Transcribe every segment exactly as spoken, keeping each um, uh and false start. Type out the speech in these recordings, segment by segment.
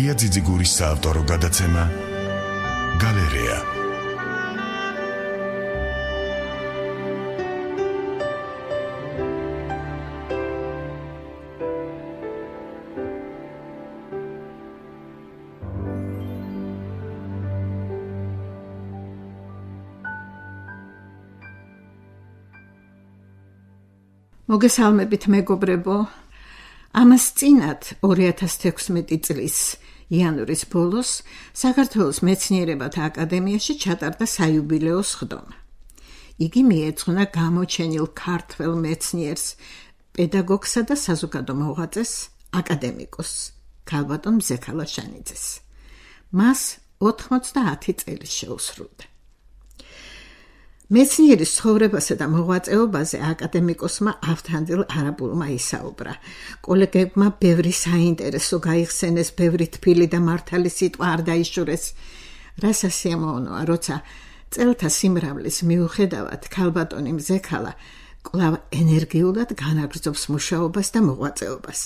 ლია ძიძიგურის საავტორო გადაცემა გალერეა. მოგესალმებით მეგობრებო, ამას წინათ ორი ათას თექვსმეტი წლის იანვრის ბოლოს საქართველოს მეცნიერებათა აკადემიაში ჩატარდა საიუბილეო სხდომა. იგი მიეძღვნა გამოჩენილ ქართველ მეცნიერს, პედაგოგსა და საზოგადო მოღვაწეს, აკადემიკოს ქალბატონ მზექალა შანიძეს. მას ოთხმოცდაათი წელი შეუსრულდა. მეცნიერის ცხოვრებასა და მოღვაწეობაზე აკადემიკოსმა ავთანდილ არაბულმა ისაუბრა. კოლეგებმა ბევრი საინტერესო გაიხსენეს, ბევრი თბილი და მართალი სიტყვა არ დაიშურეს. რა სასიამოვნოა, როცა წელთა სიმრავლის მიუხედავად ქალბატონი მზექალა კვლავ ენერგიულად განაგრძობს მუშაობას და მოღვაწეობას.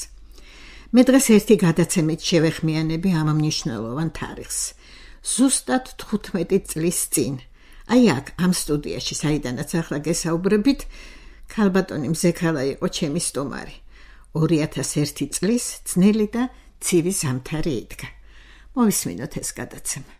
მე დღეს ერთი გადაცემით შევეხმიანები ამ მნიშვნელოვან თარიღს. ზუსტად თხუთმეტი წლის წინ. აი აქ ამ სტუდიაში, საიდანაც ახლა გესაუბრებით, ქალბატონი მზექალა იყო ჩემი სტუმარი. ორი ათას ერთი წლის ძნელი და ცივი ზამთარი იდგა. მოვისმინოთ ეს გადაცემა.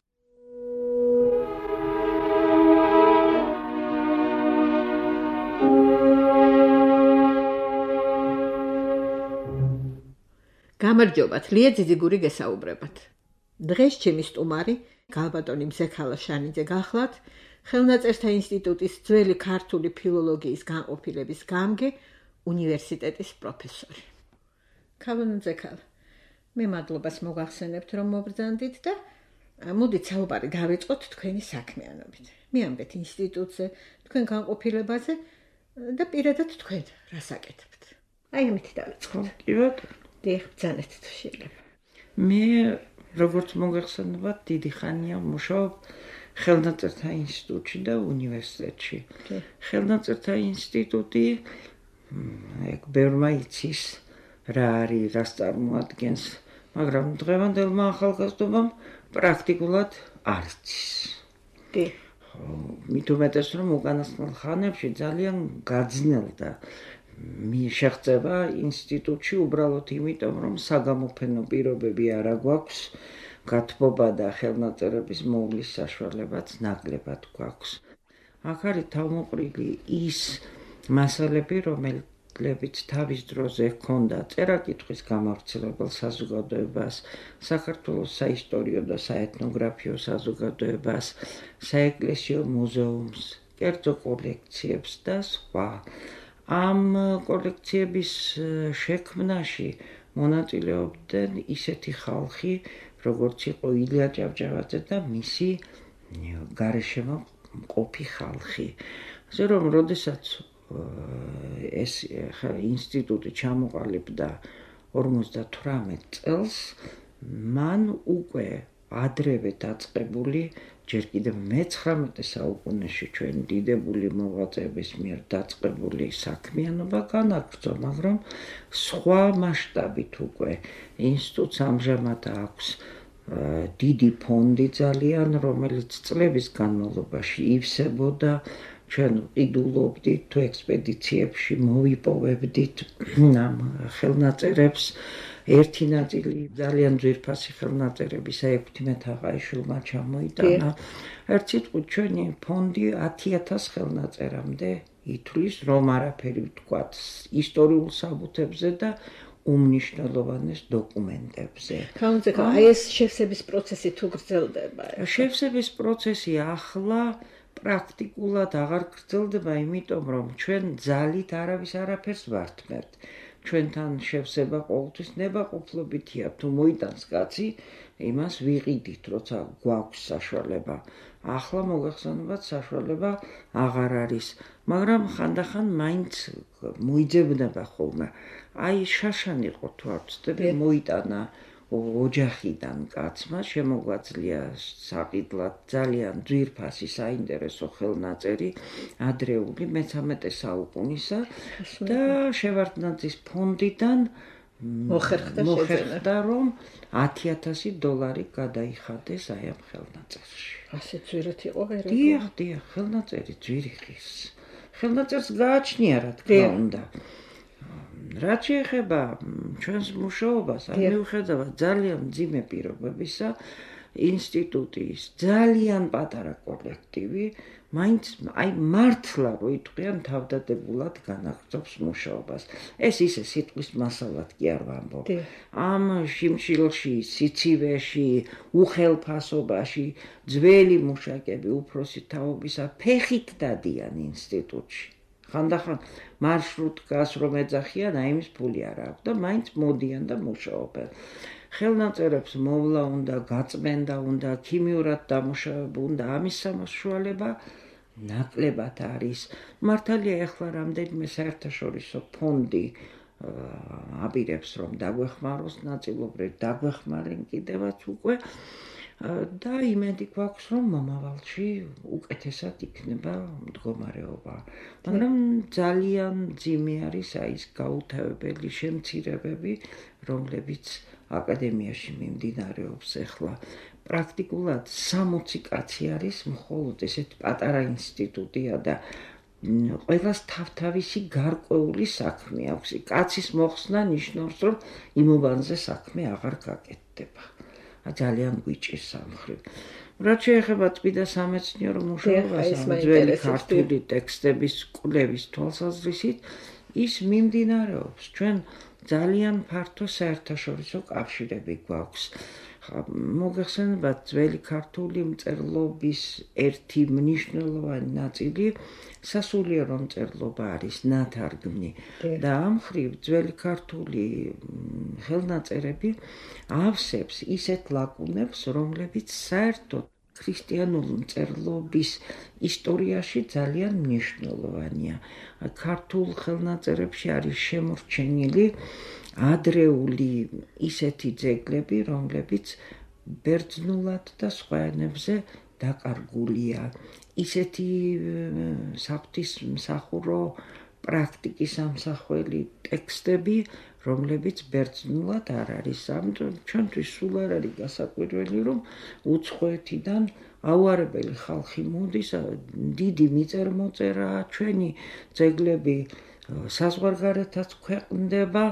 გამარჯობათ, ლია ძიძიგური გესაუბრებათ. დღეს ჩემი სტუმარი ქალბატონი მზექალა შანიძე გახლავთ, ხელნაწერთა ინსტიტუტის ძველი ქართული ფილოლოგიის განყოფილების გამგე, უნივერსიტეტის პროფესორი. ქალბატონ მზექალა, მე მადლობას მოგახსენებთ, რომ მობრძანდით და მოდით საუბარი დავიწყოთ თქვენი საქმიანობით. მიამბეთ ინსტიტუტზე, თქვენ განყოფილებაზე და პირადად თქვენ რას აკეთებთ. აი ამით დავიწყოთ. კი ბატონო. დიახ, ბრძანეთ თუ შეიძლება. მე როგორც მოგახსენებათ, დიდი ხანია მუშაობ ხელნაწერთა ინსტიტუტში და უნივერსიტეტში. ხელნაწერთა ინსტიტუტი ეგ ბევრმა იცის რა არის, რას წარმოადგენს, მაგრამ დღევანდელმა ახალგაზრდობამ პრაქტიკულად არ იცის. კი. მით უმეტეს, რომ უკანასკნელ ხანებში ძალიან გაძნელდა შეღწევა ინსტიტუტში უბრალოდ იმიტომ, რომ საგამოფენო პირობები არ აგვაქვს, გათბობა და ხელნაწერების მოვლის საშუალებაც ნაკლებად გვაქვს. აქ არის თავმოყრილი ის მასალები, რომლებიც თავის დროზე ჰქონდა წერა-კითხვის გამავრცელებელ საზოგადოებას, საქართველოს საისტორიო და საეთნოგრაფიო საზოგადოებას, საეკლესიო მუზეუმს, კერძო კოლექციებს და სხვა. ამ კოლექციების შექმნაში მონაწილეობდნენ ისეთი ხალხი, როგორც იყო ილია ჭავჭავაძე და მისი გარეშემო მყოფი ხალხი. ასე რომ, როდესაც ეს ინსტიტუტი ჩამოყალიბდა ორმოცდათვრამეტ წელს, მან უკვე ადრევე დაწყებული, ჯერ კიდევ მეცხრამეტე საუკუნეში ჩვენ დიდებული მოღვაწეების მიერ დაწყებული საქმიანობა განაგრძო, მაგრამ სხვა მასშტაბით უკვე ინსტიტუტს ამჟამად აქვს დიდი ფონდი ძალიან, რომელიც წლების განმავლობაში ივსებოდა. ჩვენ ყიდულობდით თუ ექსპედიციებში მოვიპოვებდით ამ ხელნაწერებს. ერთი ნაწილი ძალიან ძვირფასი ხელნაწერები საექვთიმე თაყაიშვილმა ჩამოიტანა. ერთ სიტყვით ჩვენი ფონდი ათი ათას ხელნაწერამდე ითვლის, რომ არაფერი ვთქვათ ისტორიულ საბუთებზე და უმნიშვნელოვანეს დოკუმენტებზე. ქალბატონო, აი ეს შევსების პროცესი თუ გრძელდება? შევსების პროცესი ახლა პრაქტიკულად აღარ გრძელდება, იმიტომ რომ ჩვენ ძალით არავის არაფერს ვართმევთ. ჩვენთან შევსება ყოველთვის ნებაყოფლობითია, თუ მოიტანს კაცი, იმას ვიყიდით, როცა გვაქვს საშუალება. ახლა მოგახსენებათ, საშუალება აღარ არის, მაგრამ ხანდახან მაინც მოიძებნება ხოლმე. აი შაშანი იყო თუ არ ვცდები, მოიტანა ოჯახიდან კაცმა, შემოგვაძლია საყიდლად ძალიან ძვირფასი საინტერესო ხელნაწერი ადრეული მეთერთმეტე საუკუნისა და შევარდნაძის ფონდიდან მოხერხდა რომ ათი ათასი დოლარი გადაიხადეს აი ამ ხელნაწერში. ასე ძვირად იყო ვერა. დიახ, დიახ, ხელნაწერი ძვირი ხის. ხელნაწერს გააჩნია რა თქმა უნდა. რაც შეეხება ჩვენს მუშაობას, აი მიუხედავად ძალიან მძიმე პირობებისა, ინსტიტუტის ძალიან პატარა კოლექტივი მაინც აი მართლა რო იტყვიან თავდადებულად განაგრძობს მუშაობას. ეს ისე სიტყვის მასალად კი არ ვამბობ. ამ შიმშილში, სიცივეში, უხელფასობაში ძველი მუშაკები უფროსი თაობისა ფეხით დადიან ინსტიტუტში. ხანდახან მარშრუტკას რომ ეძახიან, აი იმის ფული არ აქვს და მაინც მოდიან და მუშაობენ. ხელნაწერებს მოვლა უნდა, გაწმენდა უნდა, ქიმიურად დამუშავება უნდა, ამის სამსახურება ნაკლებად არის. მართალია ეხლა რამდენიმე საერთაშორისო ფონდი აპირებს რომ დაგვეხმაროს, ნაწილობრივ დაგვეხმარენ კიდევაც უკვე და იმედი გვაქვს რომ მომავალში უკეთესად იქნება მდგომარეობა. მაგრამ ძალიან მძიმე არის აი ეს გაუთავებელი შემცირებები, რომლებიც აკადემიაში მიმდინარეობს ეხლა. პრაქტიკულად სამოცი კაცი არის მხოლოდ ესეთი პატარა ინსტიტუტია და ყველას თავთავისი გარკვეული საქმე აქვს. კაცის მოხსნა ნიშნავს რომ იმობანზე საქმე აღარ გაკეთდება. ძალიან გვიჭირს ამ მხრივ. რაც შეეხება წმიდა სამეცნიერო მუშაობას, ძველი ქართული ტექსტების კვლევის თვალსაზრისით, ის მიმდინარეობს. ჩვენ ძალიან ფართო საერთაშორისო კავშირები გვაქვს. მოგეხსენებათ ძველი ქართული მწერლობის ერთი მნიშვნელოვანი ნაწილი სასულიერო მწერლობა არის ნათარგმნი და ამ მხრივ ძველი ქართული ხელნაწერები ავსებს ისეთ ლაკუნებს, რომლებიც საერთოდ ქრისტიანული მწერლობის ისტორიაში ძალიან მნიშვნელოვანია. ქართულ ხელნაწერებში არის შემორჩენილი ადრეული ისეთი ძეგლები, რომლებიც ბერძნულად და სხვა ენებზე დაკარგულია. ისეთი საღვთისმსახურო პრაქტიკის ამსახველი ტექსტები, რომლებიც ბერძნულად არ არის. ამიტომ ჩვენთვის სულ არ არის გასაკვირველი, რომ უცხოეთიდან აუარებელი ხალხი მოდის, დიდი მიწერ-მოწერაა, ჩვენი ძეგლები საზღვარგარეთაც ქვეყნდება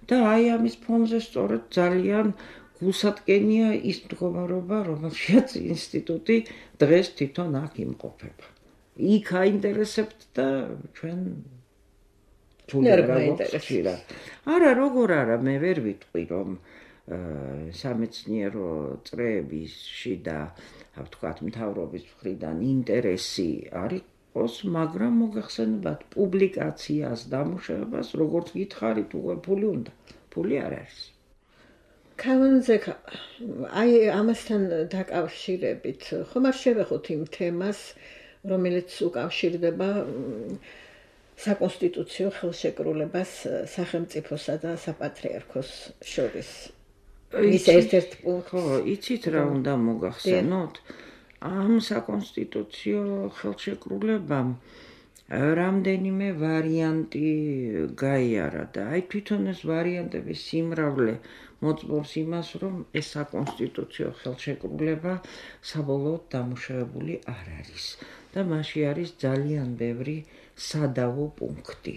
და აი ამის ფონზე სწორედ ძალიან გულსატკენია ის მდგომარეობა, რომელშიც ინსტიტუტი დღეს თვითონ აქ იმყოფება. იქ აინტერესებთ და ჩვენ არა, როგორ არა, მე ვერ ვიტყვი, რომ სამეცნიერო წრეებში და ვთქვათ მთავრობის მხრიდან ინტერესი არის იყოს, მაგრამ მოგეხსენებათ პუბლიკაციას, დამუშავებას, როგორც გითხარით, უკვე ფული უნდა. ფული არ არის. კავანზე აი ამასთან დაკავშირებით ხომ არ შევეხოთ იმ თემას, რომელიც უკავშირდება საკონსტიტუციო ხელშეკრულებას სახელმწიფოსა და საპატრიარქოს შორის. ის ერთ-ერთი პუნქტი. ხო, იცით რა უნდა მოგახსენოთ? ამ საკონსტიტუციო ხელშეკრულებამ რამდენიმე ვარიანტი გაიარა და აი თვითონ ეს ვარიანტების სიმრავლე მოწმობს იმას, რომ ეს საკონსტიტუციო ხელშეკრულება საბოლოოდ დამუშავებული არ არის და მასში არის ძალიან ბევრი სადავო პუნქტი.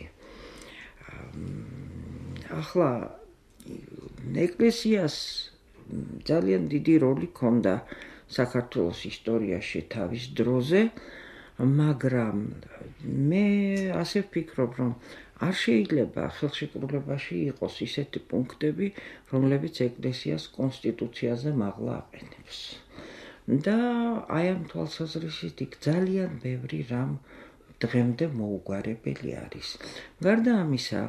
ახლა ეკლესიას ძალიან დიდი როლი ჰქონდა საქართველოს ისტორიაში თავის დროზე, მაგრამ მე ასე ვფიქრობ, რომ არ შეიძლება ხელშეკრულებაში იყოს ისეთი პუნქტები, რომლებიც ეკლესიას კონსტიტუციაზე მაღლა აყენებს. და აი ამ თვალსაზრისით იქ ძალიან ბევრი რამ დღემდე მოუგვარებელი არის. გარდა ამისა,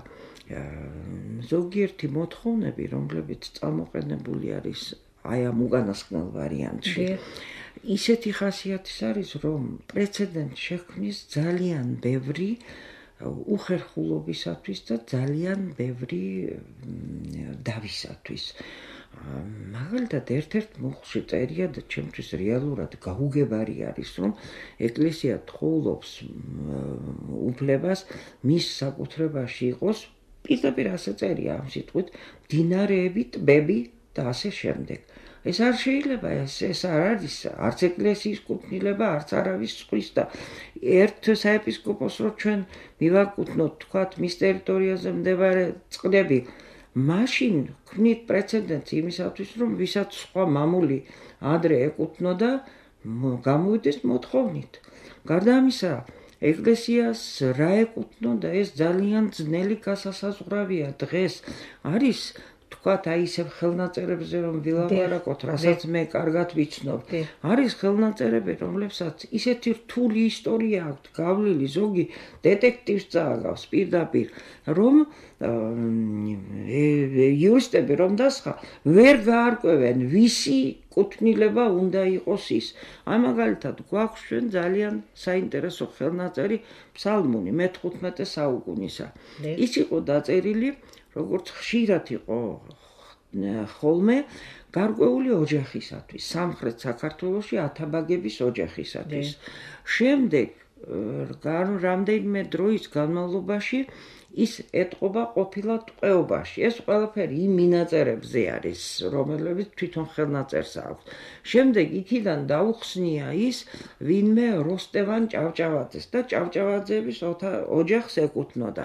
ზოგიერთი მოთხოვნები, რომლებიც წამოყენებული არის აი ამ უკანასკნელ ვარიანტში, ისეთი ხასიათის არის, რომ პრეცედენტს შექმნის ძალიან ბევრი უხერხულობისათვის და ძალიან ბევრი დავისათვის. მაგალითად, ერთ-ერთ მოხში წერია და ჩემთვის რეალურად გაუგებარი არის, რომ ეკლესია თხოვლობს უფლებას მის საკუთრებაში იყოს პირდაპირ ასე წერია ამ სიტყვით, მდინარეები, ტბები და ასე შემდეგ. ეს არ შეიძლება, ეს ეს არ არის არც ეკლესიის კუთვნილება, არც არავის სხვის და ერთ საეპისკოპოსს რო ჩვენ მივაკუთვნოთ, თქვათ, მის ტერიტორიაზე მდებარე წყლები, მაშინ ქმნით პრეცედენტს იმისათვის, რომ ვისაც სხვა მამული ადრე ეკუთვნოდა, გამოვიდეს მოთხოვნით. გარდა ამისა, ეკლესიას რა ეკუთვნოდა, ეს ძალიან ძნელი გასასაზღვრავია დღეს. არის თქვათ, აი ისევ ხელნაწერებზე რომ ვილაპარაკოთ, რასაც მე კარგად ვიცნობ. არის ხელნაწერები, რომლებსაც ისეთი რთული ისტორია აქვთ გავლილი, ზოგი დეტექტივს წააგავს პირდაპირ, რომ იურისტები რომ დასხა, ვერ გაარკვევენ, ვისი კუთვნილება უნდა იყოს ის. აი მაგალითად, გვაქვს ჩვენ ძალიან საინტერესო ხელნაწერი ფსალმუნი მეთხუთმეტე საუკუნისა. ის იყო დაწერილი, როგორც ხშირად იყო ხოლმე გარკვეული ოჯახისათვის, სამხრეთ საქართველოში ათაბაგების ოჯახისათვის. შემდეგ რამდენიმე დროის განმავლობაში ის ეტყობა ყოფილა ტყვეობაში. ეს ყველაფერი იმ მინაწერებზე არის, რომელებიც თვითონ ხელნაწერს აქვს. შემდეგ იქიდან დაუხსნია ის ვინმე როსტევან ჭავჭავაძეს და ჭავჭავაძეების ოჯახს ეკუთვნოდა.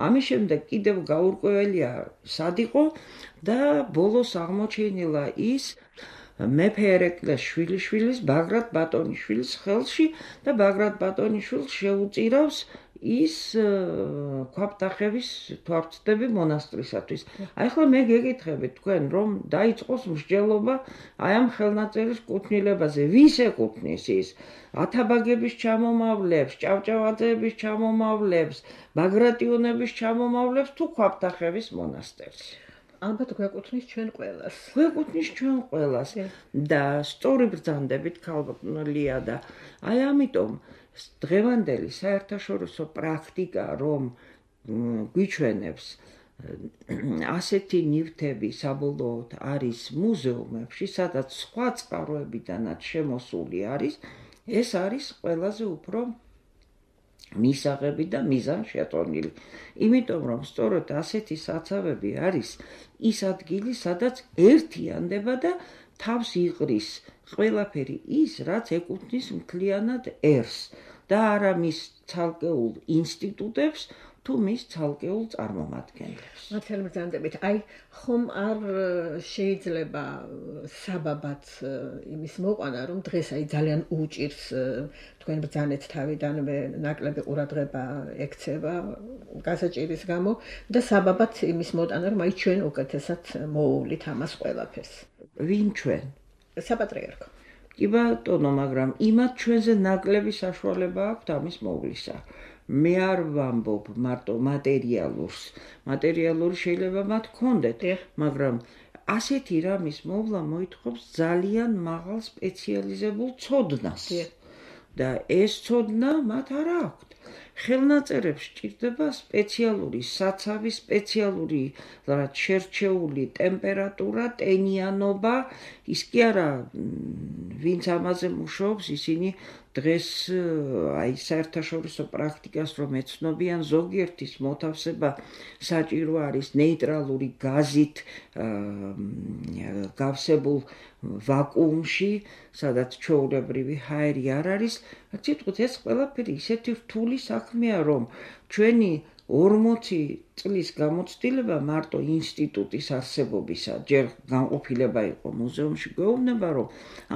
ამის შემდეგ კიდევ გაურკვეველია სად იყო და ბოლოს აღმოჩენილა ის მეფე ერეკლეს შვილიშვილის ბაგრატ ბატონიშვილის ხელში და ბაგრატ ბატონიშვილს შეუწირავს ის ქვაბტახევის თვალწდები მონასტრისათვის. აი ახლა მე გეკითხებით თქვენ, რომ დაიწყოს მსჯელობა აი ამ ხელნაწერის კუთვნილებაზე, ვის ეკუთვნის ის? ათაბაგების ჩამომავლებს, ჭავჭავაძეების ჩამომავლებს, ბაგრატიონების ჩამომავლებს თუ ქვაბტახევის მონასტერს? ალბათ გვეკუთვნის ჩვენ ყველას. გვეკუთვნის ჩვენ ყველას და სწორი ბრძანდებით ქალბატონია და აი ამიტომ დღევანდელი საერთაშორისო პრაქტიკა, რომ გვიჩვენებს ასეთი ნივთები საბოლოოდ არის მუზეუმებში, სადაც სხვა წყაროებიდანაც შემოსული არის, ეს არის ყველაზე უფრო მისაღები და მიზანშეწონილი. იმიტომ რომ სწორედ ასეთი საცავები არის ის ადგილი, სადაც ერთიანდება და თავს იღრის ყველაფერი ის, რაც ეკუთვნის მთლიანად ერს და არა მის ცალკეულ ინსტიტუტებს თუ მის ცალკეულ წარმომადგენლებს. მართალი ბრძანდებით, აი ხომ არ შეიძლება საბაბად იმის მოყვანა, რომ დღეს აი ძალიან უჭირს თქვენ ბრძანეთ თავიდანვე ნაკლები ყურადღება ექცევა გასაჭირის გამო და საბაბად იმის მოტანა, რომ აი ჩვენ უკეთესად მოუვლით ამას ყველაფერს. ვინ ჩვენ? საპატრიარქო. კი ბატონო, მაგრამ იმათ ჩვენზე ნაკლები საშუალება აქვთ ამის მოვლისა. მე არ ვამბობ მარტო მატერიალურს. მატერიალური შეიძლება მათ ჰქონდეთ, მაგრამ ასეთი რამის მოვლა მოითხოვს ძალიან მაღალ სპეციალიზებულ ცოდნას. და ეს ცოდნა მათ არ აქვთ. ხელნაწერებს სჭირდება სპეციალური საცავი, სპეციალური რაც შერჩეული ტემპერატურა, ტენიანობა, ის კი არა ვინც ამაზე მუშაობს, ისინი დღეს აი საერთაშორისო პრაქტიკას რომ ეცნობიან, ზოგიერთის მოთავსება საჭირო არის ნეიტრალური გაზით გავსებულ ვაკუუმში, სადაც ჩვეულებრივი ჰაერი არ არის. სიტყვით, ეს ყველაფერი ისეთი რთული საქმეა, რომ ჩვენი ორმოცი წლის გამოცდილება მარტო ინსტიტუტის არსებობისა, ჯერ განყოფილება იყო მუზეუმში, გვეუბნება, რომ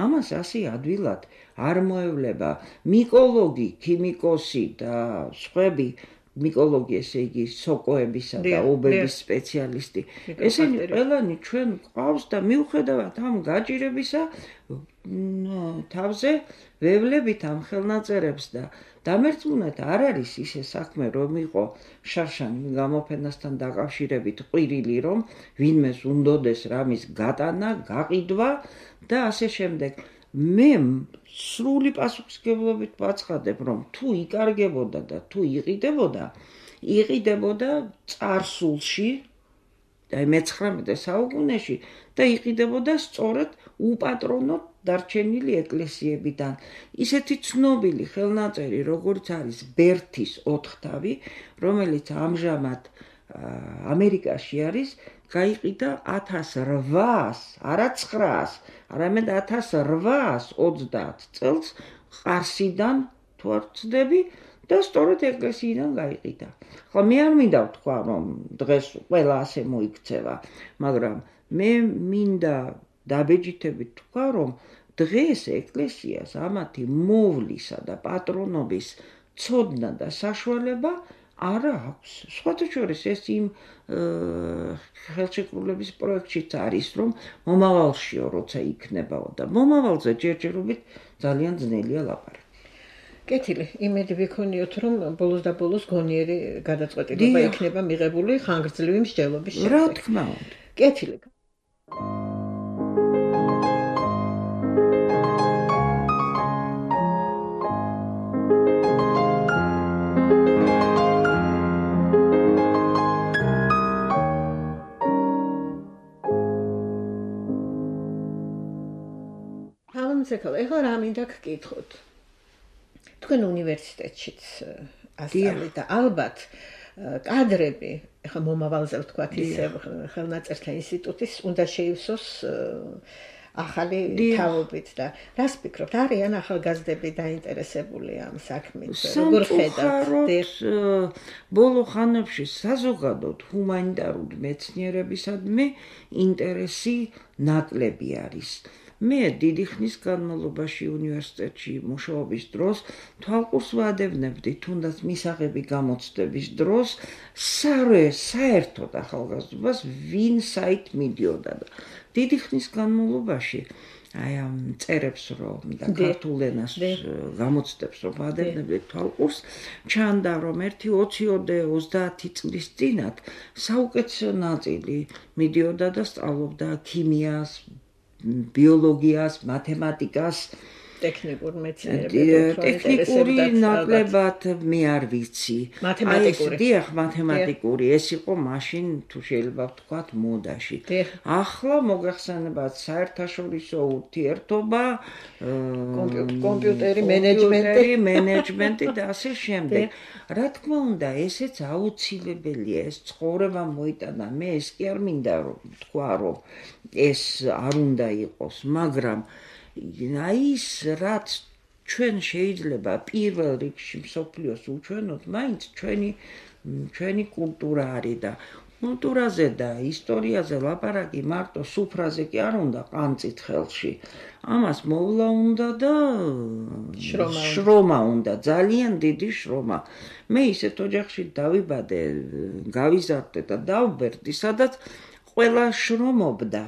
ამას ასე ადვილად არ მოევლება მიკოლოგი, ქიმიკოსი და სხვები, მიკოლოგი, ესე იგი სოკოებისა და ობების სპეციალისტი. ესენი ყველანი ჩვენ გვყავს და მიუხედავად ამ გაჭირებისა, თავზე ვევლებით ამ ხელნაწერებს და დამერწმუნეთ არ არის ისე საქმე, რომ იყო შარშან გამოფენასთან დაკავშირებით ყვირილი, რომ ვინმეს უნდოდეს რამის გატანა, გაყიდვა და ასე შემდეგ. მე სრული პასუხისმგებლობით ვაცხადებ, რომ თუ იკარგებოდა და თუ იყიდებოდა, იყიდებოდა წარსულში, აი მეცხრამეტე საუკუნეში და იყიდებოდა სწორედ უპატრონოდ დარჩენილი ეკლესიებიდან. ისეთი ცნობილი ხელნაწერი, როგორც არის ბერთის ოთხთავი, რომელიც ამჟამად ამერიკაში არის გაიყიდა ათას რვაას, არა ცხრაას, არამედ ათას რვაას ოცდაათ წელს ყარსიდან თუ არ ვცდები და სწორედ ეკლესიიდან გაიყიდა. ხო, მე არ მინდა ვთქვა, რომ დღეს ყველა ასე მოიქცევა, მაგრამ მე მინდა დაბეჯითებით თქვა, რომ დღეს ეკლესიას ამათი მოვლისა და პატრონობის ცოდნა და საშუალება არ აქვს. სხვათა შორის ეს იმ ხელშეკრულების პროექტშიც არის, რომ მომავალშიო როცა იქნებაო და მომავალზე ჯერჯერობით ძალიან ძნელია ლაპარაკი. კეთილი, იმედი ვიქონიოთ, რომ ბოლოს და ბოლოს გონიერი გადაწყვეტილება იქნება მიღებული ხანგრძლივი მსჯელობის შემდეგ. რა თქმა უნდა. კეთილი. ზეკალა, ეხლა რა მინდა გკითხოთ. თქვენ უნივერსიტეტშიც ასწავლეთ და ალბათ კადრები, ეხლა მომავალზე ვთქვათ ისე ხელნაწერთა ინსტიტუტის უნდა შეივსოს ახალი თაობით და რას ფიქრობთ, არიან ახალგაზრდები დაინტერესებული ამ საქმით? როგორ ხედავთ? ბოლო ხანებში საზოგადოდ ჰუმანიტარული მეცნიერებისადმი ინტერესი ნაკლები არის. მე დიდი ხნის განმავლობაში უნივერსიტეტში მუშაობის დროს თვალყურს ვადევნებდი, თუნდაც მისაღები გამოცდების დროს, საერთოდ ახალგაზრდობას ვინ საით მიდიოდა და დიდი ხნის განმავლობაში აი ამ წერებს რომ და ქართულ ენას გამოცდებს რომ ვადევნებდი თვალყურს, ჩანდა რომ ერთი ოცი ოცდაათი წლის წინათ საუკეთესო ნაწილი მიდიოდა და სწავლობდა ქიმიას, ბიოლოგიას, მათემატიკას, ტექნიკურ მეცნიერებებს, ტექნიკური ნაკლებად მე არ ვიცი. მათემატიკური. დიახ, მათემატიკური, ეს იყო მაშინ თუ შეიძლება ვთქვათ მოდაში. ახლა მოგახსენებათ საერთაშორისო ურთიერთობა, კომპიუტერი, მენეჯმენტი, მენეჯმენტი და ასე შემდეგ. რა თქმა უნდა, ესეც აუცილებელია, ეს ცხოვრება მოიტანა. მე ეს კი არ მინდა რომ თქვა, რომ ეს არ უნდა იყოს, მაგრამ აი ის რაც ჩვენ შეიძლება პირველ რიგში მსოფლიოს უჩვენოთ, მაინც ჩვენი ჩვენი კულტურა არის და კულტურაზე და ისტორიაზე ლაპარაკი მარტო სუფრაზე კი არ უნდა ყანწით ხელში. ამას მოვლა უნდა და შრომა უნდა, ძალიან დიდი შრომა. მე ისეთ ოჯახში დავიბადე, გავიზარდე და დავბერდი, სადაც ყველა შრომობდა.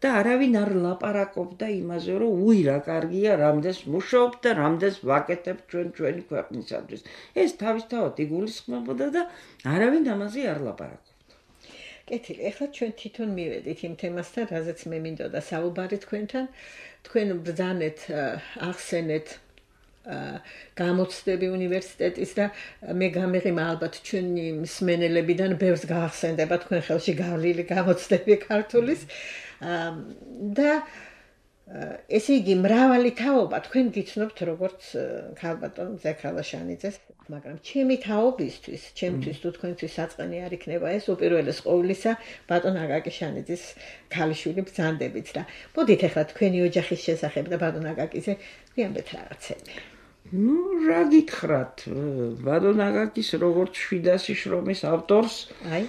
და არავინ არ ლაპარაკობდა იმაზე, რომ უი რა კარგია, რამდენს მუშაობთ და რამდენს ვაკეთებ ჩვენ ჩვენი ქვეყნისათვის. ეს თავისთავად იგულისხმებოდა და არავინ ამაზე არ ლაპარაკობდა. კეთილი, ეხლა ჩვენ თვითონ მივედით იმ თემასთან, რაზეც მე მინდოდა საუბარი თქვენთან. თქვენ ბრძანეთ, ახსენეთ გამოცდები უნივერსიტეტის და მე გამეღიმა ალბათ ჩვენი მსმენელებიდან ბევრს გაახსენდება თქვენ ხელში გავლილი გამოცდები ქართულის. და ესე იგი მრავალი თაობა თქვენ გიცნობთ როგორც ქალბატონ ზექალა შანიძეს, მაგრამ ჩემი თაობისთვის, ჩემთვის თუ თქვენთვის საწყენი არ იქნება ეს უპირველეს ყოვლისა ბატონ აკაკი შანიძის ქალიშვილი ბრძანდებით და მოდით ახლა თქვენი ოჯახის შესახებ და ბატონ აკაკიზე ვიამბეთ რაღაცები. ნუ რა გითხრათ, ბატონ აკაკის როგორც შვიდასი შრომის ავტორს, აი,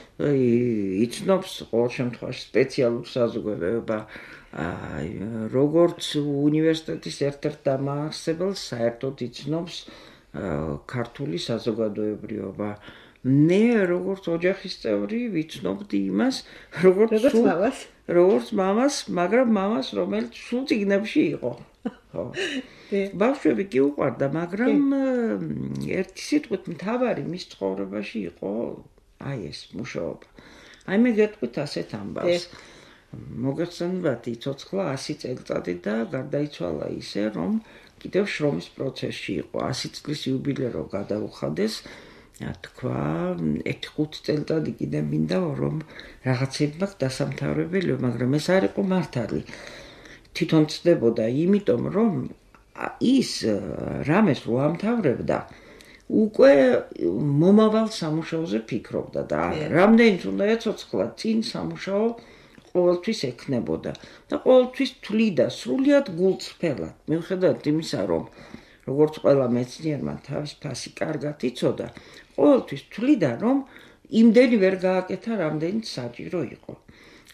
იცნობს ყოველ შემთხვევაში სპეციალურ საზოგადოება, აი, როგორც უნივერსიტეტის ერთ-ერთ დამაარსებელს საერთოდ იცნობს ქართული საზოგადოებრიობა. მე როგორც ოჯახის წევრი ვიცნობდი იმას, როგორც მამას, როგორც მამას, მაგრამ მამას, რომელიც სულ წიგნებში იყო. ხო. ბავშვები კი უყვარდა, მაგრამ ერთი სიტყვით მთავარი მის ცხოვრებაში იყო აი ეს მუშაობა. აი მე გეტყვით ასეთ ამბავს. მოგეხსენებათ, იცოცხლა ასი წელიწადი და გარდაიცვალა ისე, რომ კიდევ შრომის პროცესში იყო. ასი წლის იუბილეო გადაუხადეს. თქვა, ერთი ხუთი წელიწადი კიდევ მინდა რომ რაღაცები მაქვს დასამთავრებელი, მაგრამ ეს არ იყო მართალი. თვითონ ცდებოდა, იმიტომ რომ ის რამეს რო ამთავრებდა, უკვე მომავალ სამუშაოზე ფიქრობდა და რამდენიც უნდა ეცოცხლა წინ სამუშაო ყოველთვის ექნებოდა და ყოველთვის თვლიდა სრულიად გულწრფელად მიუხედავად იმისა რომ როგორც ყველა მეცნიერმა თავის ფასი კარგად იცოდა ყოველთვის თვლიდა რომ იმდენი ვერ გააკეთა რამდენიც საჭირო იყო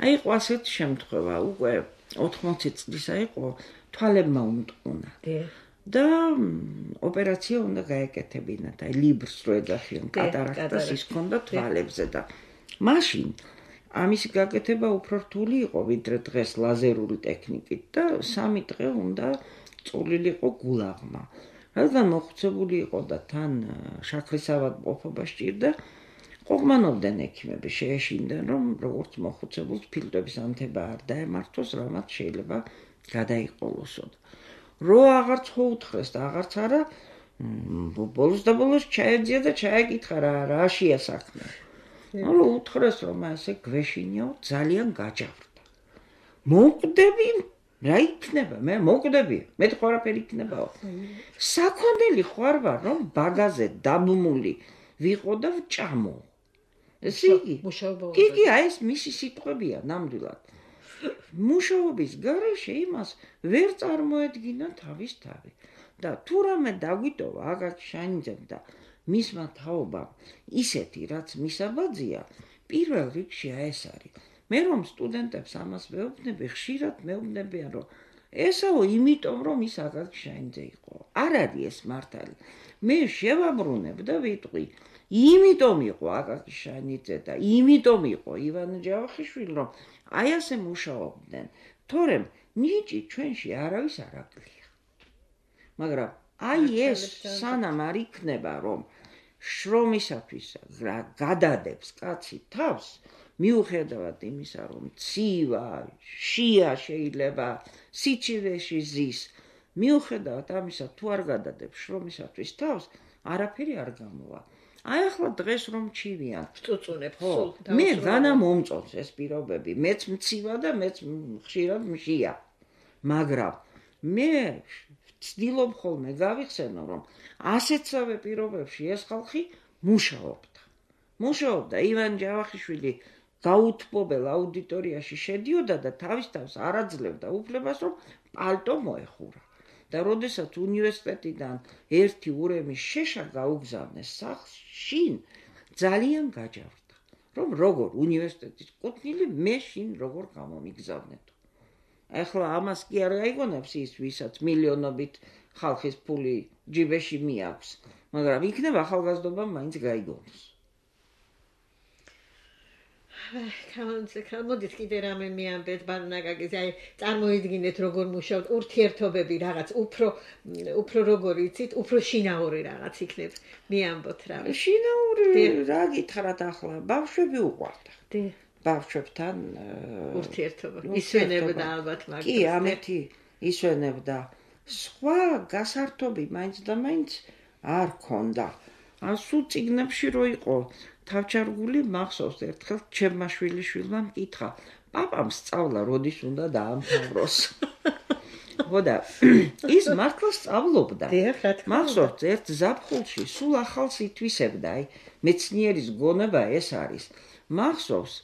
აი იყო ასეთი შემთხვევა უკვე ოთხმოცი წლისა იყო თვალებმა უმტყუნა და ოპერაცია უნდა გაეკეთებინათ აი ლიბრს რო ეძახიან კატარაქტას ის ჰქონდა თვალებზე და მაშინ ამის გაკეთება უფრო რთული იყო ვიდრე დღეს ლაზერული ტექნიკით და სამი დღე უნდა წულილიყო გულაღმა რადგან მოხუცებული იყო და თან შაქრის ავადმყოფობა სჭირდა ყოღმანობდნენ ექიმები შეეშინდნენ რომ როგორც მოხუცებულს ფილტვების ანთება არ დაემართოს რამაც შეიძლება გადაიყოლოსო რო აღარც ხო უთხრეს და აღარც არა ბოლოს და ბოლოს ჩაეძია და ჩაეკითხა რა რაშია საქმე ანუ უთხრეს რომ ასე გვეშინიო ძალიან გაჯავრდა მოკვდები რა იქნება მე მოკვდები მე ხო არაფერი იქნებაო საქონელი ხარ ვარ რომ ბაგაზე დაბმული ვიყო და ვჭამო ეს იგი კი კი აი ეს მისი სიტყვებია ნამდვილად მუშაობის გარეშე იმას ვერ წარმოედგინა თავის თავი და თუ რამე დაგვიტოვა აკაკი შანიძემ და მისმა თაობამ ისეთი რაც მისაბაძია პირველ რიგში ეს არის მე რომ სტუდენტებს ამას ვეუბნები ხშირად მეუბნებიან რომ ესაო იმიტომ რომ ის აკაკი შანიძე იყო არ არის ეს მართალი მე შევაბრუნებ და ვიტყვი იმიტომ იყო აკაკი შანიძე და იმიტომ იყო ივან ჯავახიშვილი რომ აი ასე მუშაობდნენ თორემ ნიჭი ჩვენში არავის არ აკლია მაგრამ აი ეს სანამ არ იქნება რომ შრომისათვის გადადებს კაცი თავს მიუხედავად იმისა რომ ცივა შია შეიძლება სიჩივეში ზის მიუხედავად ამისა თუ არ გადადებს შრომისათვის თავს არაფერი არ გამოვა აი ახლა დღეს რომ ჩივიან წუწუნებ სულ მე განა მომწონს ეს პირობები მეც მცივა და მეც ხშირად მშია მაგრამ მე ვცდილობ ხოლმე გავიხსენო რომ ასეთსავე პირობებში ეს ხალხი მუშაობდა მუშაობდა ივან ჯავახიშვილი გაუთბობელ აუდიტორიაში შედიოდა და თავის თავს არ აძლევდა უფლებას რომ პალტო მოეხურა და როდესაც უნივერსიტეტიდან ერთი ურემის შეშა გაუგზავნეს სახლს შინ ძალიან გაჯავრდა რომ როგორ უნივერსიტეტის კუთვნილი მე შინ როგორ გამომიგზავნეთო ახლა ამას კი არ გაიგონებს ის ვისაც მილიონობით ხალხის ფული ჯიბეში მიაქვს მაგრამ იქნება ახალგაზრდობა მაინც გაიგონოს მოდით კიდე რამე მიამბეთ ბარნაკაკის აი წარმოიდგინეთ როგორ მუშაობთ ურთიერთობები რაღაც უფრო უფრო როგორ იცით უფრო შინაური რაღაც იქნებ მიამბოთ რა შინაური რა გითხრათ ახლა ბავშვები უყვარდა დი ბავშვებთან ურთიერთობა ისვენებდა ალბათ მაგრამ კი ამეთი ისვენებდა სხვა გასართობი მაინც და მაინც არ ქონდა ასუ წიგნებში რო იყო თავჩარგული მახსოვს ერთხელ ჩემმა შვილიშვილმა მკითხა პაპამ სწავლა როდის უნდა დაამთავროს ხოდა ის მართლა სწავლობდა მახსოვს ერთ ზაფხულში სულ ახალს ითვისებდა აი მეცნიერის გონება ეს არის მახსოვს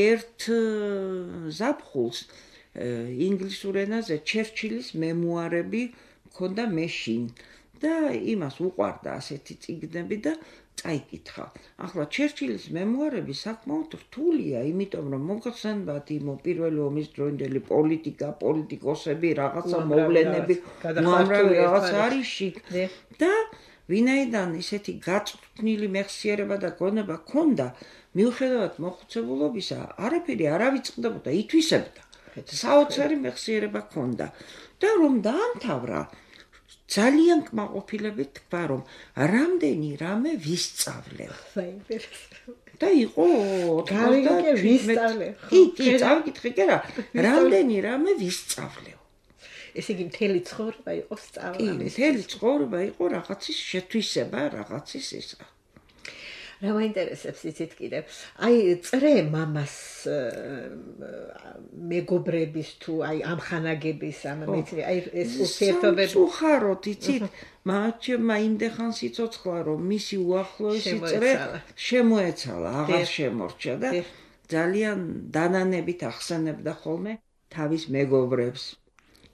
ერთ ზაფხულს ინგლისურ ენაზე ჩერჩილის მემუარები მქონდა მეშინ და იმას უყვარდა ასეთი წიგნები და წაიკითხა. ახლა ჩერჩილის მემუარები საკმაოდ რთულია, იმიტომ რომ მოგხსენებათ იმ პირველი ომის დროინდელი პოლიტიკა, პოლიტიკოსები, რაღაცა მოვლენები, უამრავი რაღაც არის შიგ და ვინაიდან ისეთი გაწვრთნილი მეხსიერება და გონება ჰქონდა, მიუხედავად მოხუცებულობისა, არაფერი არ ავიწყდებოდა, ითვისებდა. საოცარი მეხსიერება ჰქონდა და რომ დაამთავრა ძალიან კმაყოფილებით თქვა რომ რამდენი რამე ვისწავლე. და იყო გავიგე ვისწავლე. კი, კი, წავიკითხე კი რა, რამდენი რამე ვისწავლე. ესე იგი მთელი ცხოვრება იყო სწავლა. კი, მთელი ცხოვრება იყო რაღაცის შეთვისება, რაღაცის ისა. რა მაინტერესებს იცით კიდევ აი წრე მამას მეგობრების თუ აი ამხანაგების ამ მეცნი აი ეს ურთიერთობები უხაროთ იცით მაჩემ იმდეხან სიცოცხლა რომ მისი უახლოესი წრე შემოეცალა აღარ შემორჩა და ძალიან დანანებით ახსენებდა ხოლმე თავის მეგობრებს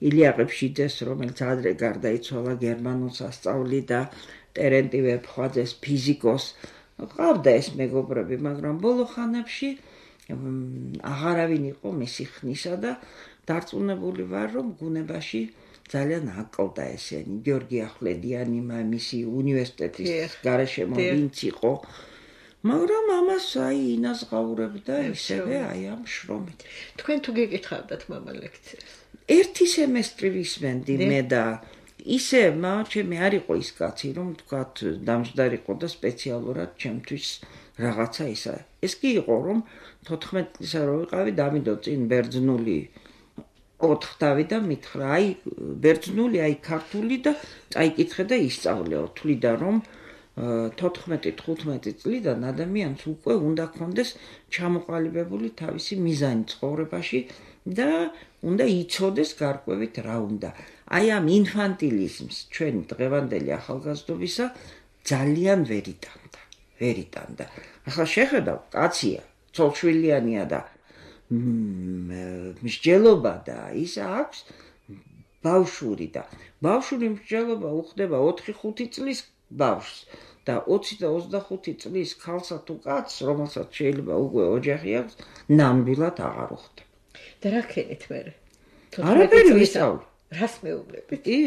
ილია ყიფშიძეს რომელიც ადრე გარდაიცვალა გერმანულს ასწავლიდა ტერენტი ვეფხვაძეს ფიზიკოს ყავდა ეს მეგობრები მაგრამ ბოლო ხანებში აღარავინ იყო მისი ხნისა და დარწმუნებული ვარ რომ გუნებაში ძალიან აკლდა ესენი გიორგი ახვლედიანი მისი უნივერსიტეტის გარშემო ვინც იყო მაგრამ ამას აი ინაზღაურებდა ისევე აი ამ შრომით თქვენ თუ გეკითხავდათ მამა ლექციას ერთი სემესტრი ვისმენდი მე და ისე მაჩემი არ იყო ის კაცი რომ თქვათ დამჯდარიყო და სპეციალურად ჩემთვის რაღაცა ისა ეს კი იყო რომ თოთხმეტ წლისა რო ვიყავი დავიდო წინ ბერძნული ოთხთავი და მითხრა აი ბერძნული აი ქართული და წაიკითხე და ისწავლეო თვლიდა რომ თოთხმეტი თხუთმეტი წლიდან ადამიანს უკვე უნდა ქონდეს ჩამოყალიბებული თავისი მიზანი ცხოვრებაში და უნდა იცოდეს გარკვევით რა უნდა აი ამ ინფანტილიზმს ჩვენი დღევანდელი ახალგაზრდობისა ძალიან ვერ იტანდა ვერ იტანდა ახლა შეხედავ კაცია ცოლშვილიანია და მსჯელობა და ის აქვს ბავშვური და ბავშვური მსჯელობა უხდება ოთხი ხუთი წლის ბავშვს და ოცი და ოცდახუთი წლის ქალსა თუ კაცს რომელსაც შეიძლება უკვე ოჯახი აქვს ნამდვილად აღარ უხდება და რა ქენით მე არაფერი ვისწავლე რას მეუბნებით კი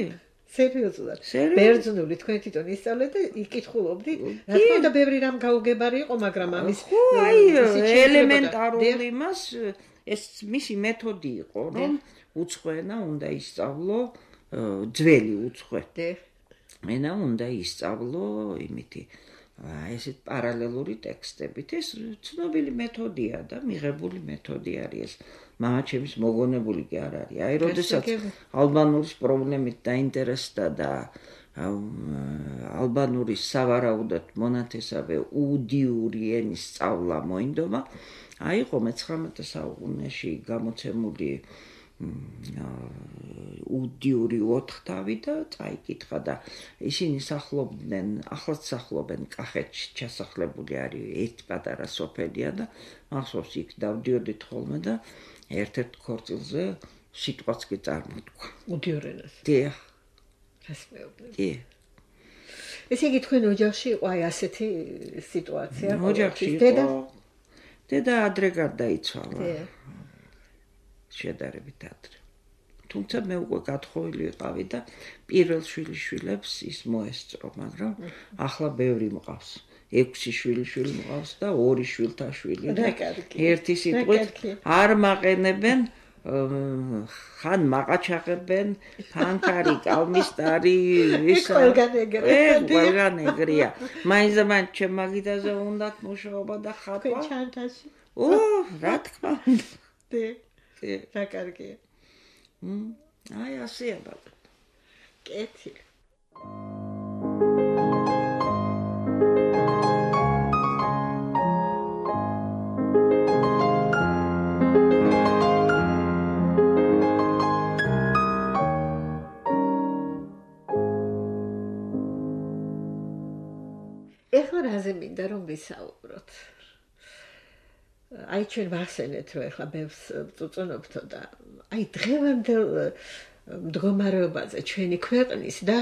სერიოზულად ბერძნული თქვენ თვითონ ისწავლეთ და იკითხულობდით რა თქმა უნდა ბევრი რამ გაუგებარი იყო მაგრამ ამის ხო აი ელემენტარული მას ეს მისი მეთოდი იყო რომ უცხოენა უნდა ისწავლო ძველი უცხო ენა უნდა ისწავლო იმითი ესეთ პარალელური ტექსტებით ეს ცნობილი მეთოდია და მიღებული მეთოდი არის ეს მამაჩემის მოგონებული კი არ არის აი როდესაც ალბანურის პრობლემით დაინტერესდა და ალბანურის სავარაუდოდ მონათესავე უდიური ენის სწავლა მოინდომა აი იყო მეცხრამეტე საუკუნეში გამოცემული უდიური ოთხთავი და წაიკითხა და ისინი სახლობდნენ ახლაც სახლობენ კახეთში ჩასახლებული არის ერთ პატარა სოფელია და მახსოვს იქ დავდიოდით ხოლმე და ერთ-ერთ ქორწილზე სიტყვაც კი წარმოთქვა უდიურ ენას დიახ რას მეუბნები კი ესე იგი თქვენ ოჯახში იყო აი ასეთი სიტუაცია ოჯახში იყო დედა ადრე გარდაიცვალა შედარებით ადრე თუმცა მე უკვე გათხოვილი ვიყავი და პირველ შვილიშვილებს ის მოესწრო მაგრამ ახლა ბევრი მყავს ექვსი შვილიშვილი მყავს და ორი შვილთაშვილი ერთი სიტყვით არ მაყენებენ ხან მაყაჩაღებენ ფანქარი კალმისტარი ისა ყველგან ეგრეა მაინც მაინც ჩემ მაგიდაზე უნდა მუშაობა და ხატვა ჩანთაში ო რა თქმა უნდა რა კარგია აი ასეა ბაბა კეთი ეხლა რაზე მინდა რომ ვისაუბროთ აი ჩვენ ვახსენეთ რომ ეხლა ბევრს წუწუნობთო და აი დღევანდელ მდგომარეობაზე ჩვენი ქვეყნის და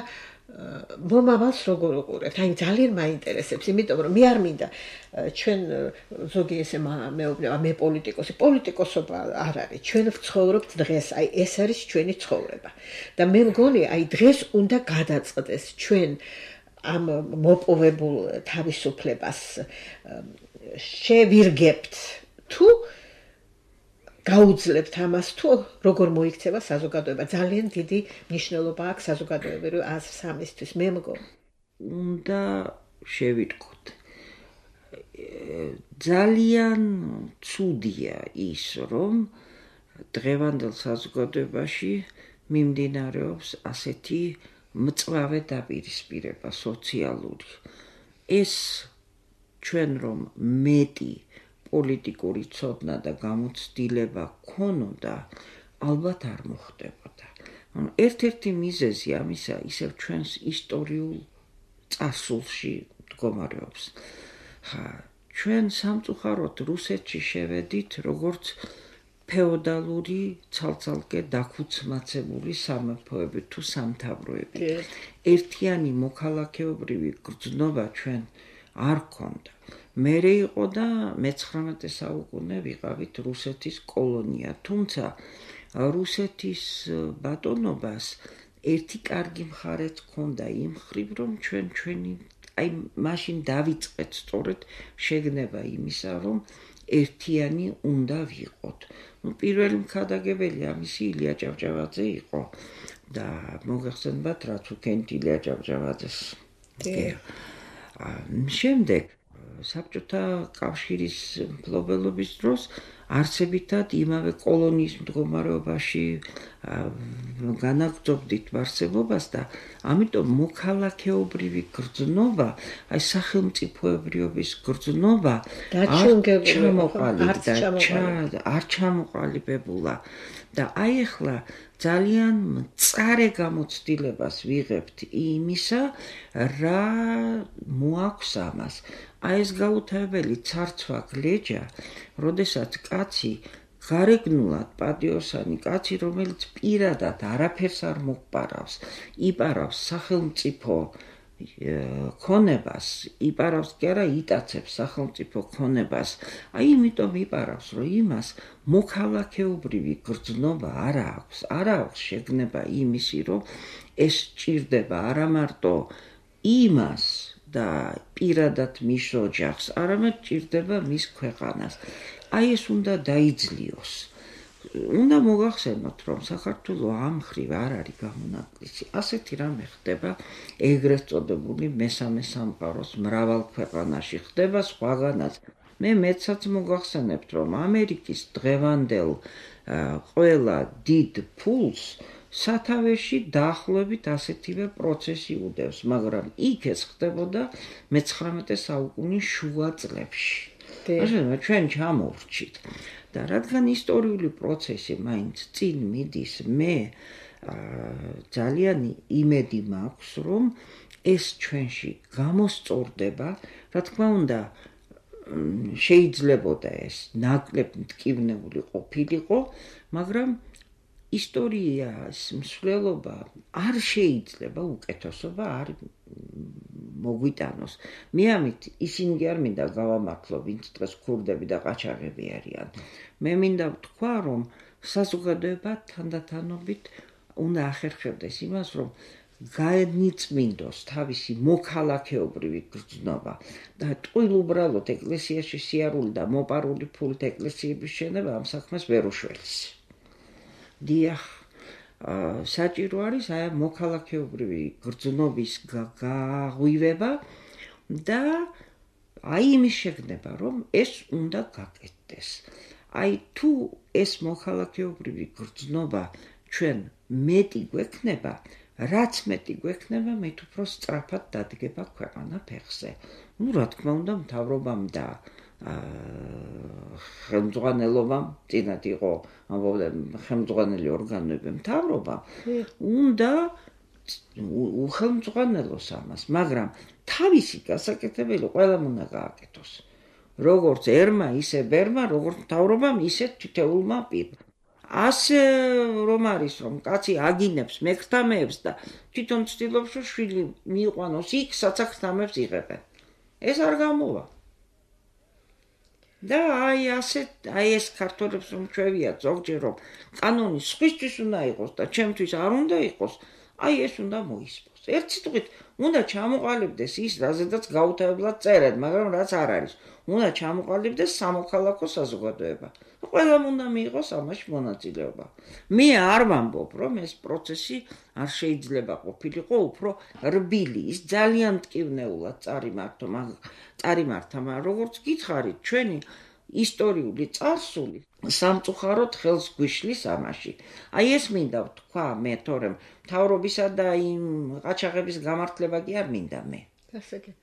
მომავალს როგორ უყურებთ აი ძალიან მაინტერესებს იმიტომ რომ მე არ მინდა ჩვენ ზოგი ესე მეუბნება მე პოლიტიკოსი პოლიტიკოსობა არ არის ჩვენ ვცხოვრობთ დღეს აი ეს არის ჩვენი ცხოვრება და მე მგონი აი დღეს უნდა გადაწყდეს ჩვენ ამ მოპოვებულ თავისუფლებას შევირგებთ თუ გაუძლებთ ამას თუ როგორ მოიქცევა საზოგადოება ძალიან დიდი მნიშვნელობა აქვს საზოგადოებრივ აზრსამისთვის მე მგონი უნდა შევიტყოთ ძალიან ცუდია ის რომ დღევანდელ საზოგადოებაში მიმდინარეობს ასეთი მწვავე დაპირისპირება სოციალური ეს ჩვენ რომ მეტი პოლიტიკური ცოდნა და გამოცდილება გქონოდა, ალბათ არ მოხდებოდა. ერთ-ერთი მიზეზი ამისა ისევ ჩვენს ისტორიულ წარსულში მდგომარეობს. ხა, ჩვენ სამწუხაროდ რუსეთში შევედით როგორც ფეოდალური ცალ-ცალკე დაქუცმაცებული სამეფოები თუ სამთავროები. ერთიანი მოქალაქეობრივი გრძნობა ჩვენ არ გქონდა. მერე იყო და მეცხრამეტე საუკუნე ვიყავით რუსეთის კოლონია, თუმცა რუსეთის ბატონობას ერთი კარგი მხარეც ჰქონდა იმ მხრივ, რომ ჩვენ ჩვენი აი მაშინ დავიწყეთ სწორედ შეგნება იმისა, რომ ერთიანი უნდა ვიყოთ. ნუ პირველი მქადაგებელი ამისი ილია ჭავჭავაძე იყო და მოგეხსენებათ რაც უკენით ილია ჭავჭავაძეს. შემდეგ საბჭოთა კავშირის მფლობელობის დროს არსებითად იმავე კოლონიის მდგომარეობაში განაგრძობდით არსებობას და ამიტომ მოქალაქეობრივი გრძნობა, აი სახელმწიფოებრიობის გრძნობა არ ჩამოყალიბებულა და აი ახლა ძალიან მწარე გამოცდილებას ვიღებთ იმისა, რა მოაქვს ამას. აი ეს გაუთავებელი ცარცვა გლეჯა, როდესაც კაცი გარეგნულად პატიოსანი კაცი, რომელიც პირადად არაფერს არ მოყარავს, იპარავს სახელმწიფო ქონებას, იპარავს კი არა, იტაცებს სახელმწიფო ქონებას. აი იმიტომ იპარავს, რომ იმას მოქალაქეობრივი გრძნობა არ აქვს, არ აქვს შეგნება იმისი, რომ ეს ჭირდება არა მარტო იმას და პირადად მის ოჯახს, არამედ ჭირდება მის ქვეყანას. აი ეს უნდა დაიძლიოს. უნდა მოგახსენოთ, რომ საქართველოს ამ მხრივ არ არის გამონაკლისი. ასეთი რამე ხდება ეგრეთ წოდებული მესამე სამყაროს მრავალ ქვეყანაში, ხდება სხვაგანაც. მე მეცაც მოგახსენებთ, რომ ამერიკის დღევანდელ ყველა დიდ ფულს სათავეში დაახლოებით ასეთივე პროცესი უდევს, მაგრამ იქ ეს ხდებოდა მეცხრამეტე საუკუნის შუა წლებში. ჩვენ ჩამოვრჩით და რადგან ისტორიული პროცესი მაინც წინ მიდის, მე ძალიან იმედი მაქვს, რომ ეს ჩვენში გამოსწორდება, რა თქმა უნდა, შეიძლებოდა ეს ნაკლებ მტკივნეული ყოფილიყო, მაგრამ ისტორიის მსვლელობა არ შეიძლება უკეთესობა არ მოგვიტანოს. მე ამით ისინი კი არ მინდა გავამართლო, ვინც დღეს ქურდები და ყაჩაღები არიან. მე მინდა ვთქვა, რომ საზოგადოება თანდათანობით უნდა ახერხებდეს იმას, რომ განიწმინდოს თავისი მოქალაქეობრივი გრძნობა და ტყუილ უბრალოდ ეკლესიაში სიარული და მოპარული ფულით ეკლესიების შენება ამ საქმეს ვერ უშველის. დიახ, საჭირო არის აი მოქალაქეობრივი გრძნობის გაღვივება და აი იმის შეგნება, რომ ეს უნდა გაკეთდეს. აი თუ ეს მოქალაქეობრივი გრძნობა ჩვენ მეტი გვექნება, რაც მეტი გვექნება, მით უფრო სწრაფად დადგება ქვეყანა ფეხზე. ნუ რა თქმა უნდა, მთავრობამ და ხელმძღვანელობამ, წინათ იყო ხელმძღვანელი ორგანოები, მთავრობამ უნდა უხელმძღვანელოს ამას, მაგრამ თავისი გასაკეთებელი ყველამ უნდა გააკეთოს. როგორც ერმა, ისე ბერმა, როგორც მთავრობამ, ისე თითოეულმა პირმა. ასე რომ არის, რომ კაცი აგინებს მექრთამეებს და თვითონ ცდილობს, რომ შვილი მიიყვანოს იქ, სადაც ქრთამეებს იღებენ. ეს არ გამოვა. და აი ასე, აი ეს ქართველებს რომ ჩვევიათ ზოგჯერ, რომ კანონი სხვისთვის უნდა იყოს და ჩემთვის არ უნდა იყოს, აი ეს უნდა მოისმოს. ერთ სიტყვით, უნდა ჩამოყალიბდეს ის, რაზედაც გაუთავებლად წერენ, მაგრამ რაც არ არის. უნდა ჩამოყალიბდეს სამოქალაქო საზოგადოება. ყველამ უნდა მიიღოს ამაში მონაწილეობა. მე არ ვამბობ, რომ ეს პროცესი არ შეიძლება ყოფილიყო უფრო რბილი, ის ძალიან მტკივნეულად წარიმართო, წარიმართა, მაგრამ როგორც გითხარით, ჩვენი ისტორიული წარსული სამწუხაროდ ხელს გვიშლის ამაში. აი ეს მინდა ვთქვა მე, თორემ მთავრობისა და იმ ყაჩაღების გამართლება კი არ მინდა მე. გასაგებ.